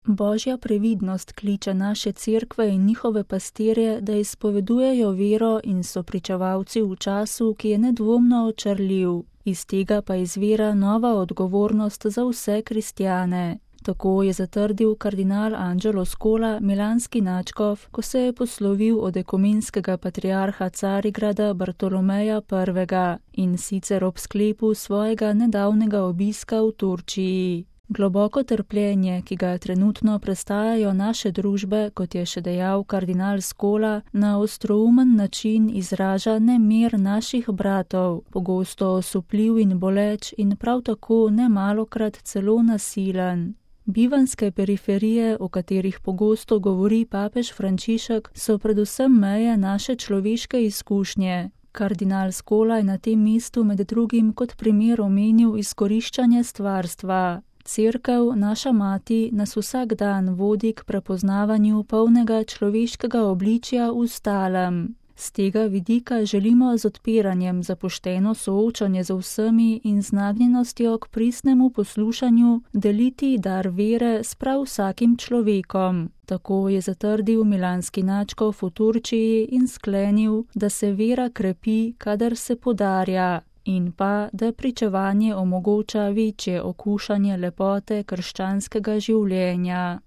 Božja previdnost kliče naše cerkve in njihove pastirje, da izpovedujejo vero in so pričevalci v času, ki je nedvomno očarljiv. Iz tega pa izvira nova odgovornost za vse kristjane. Tako je zatrdil kardinal Angelo Scola, milanski nadškof, ko se je poslovil od ekumenskega patriarha Carigrada Bartolomeja I. in sicer ob sklepu svojega nedavnega obiska v Turčiji. Globoko trpljenje, ki ga trenutno prestajajo naše družbe, kot je še dejal kardinal Scola, na ostroumen način izraža nemir naših bratov, pogosto osupljiv in boleč in prav tako nemalokrat celo nasilen. Bivanjske periferije, o katerih pogosto govori papež Frančišek, so predvsem meje naše človeške izkušnje. Kardinal Scola je na tem mestu med drugim kot primer omenil izkoriščanje stvarstva. Cerkev, naša mati, nas vsak dan vodi k prepoznavanju polnega človeškega obličja v stalem. Z tega vidika želimo z odpiranjem za pošteno soočanje z vsemi in z nagnjenostjo k pristnemu poslušanju deliti dar vere s prav vsakim človekom. Tako je zatrdil milanski nadškof v Turčiji in sklenil, da se vera krepi, kadar se podarja, in pa, da pričevanje omogoča večje okušanje lepote krščanskega življenja.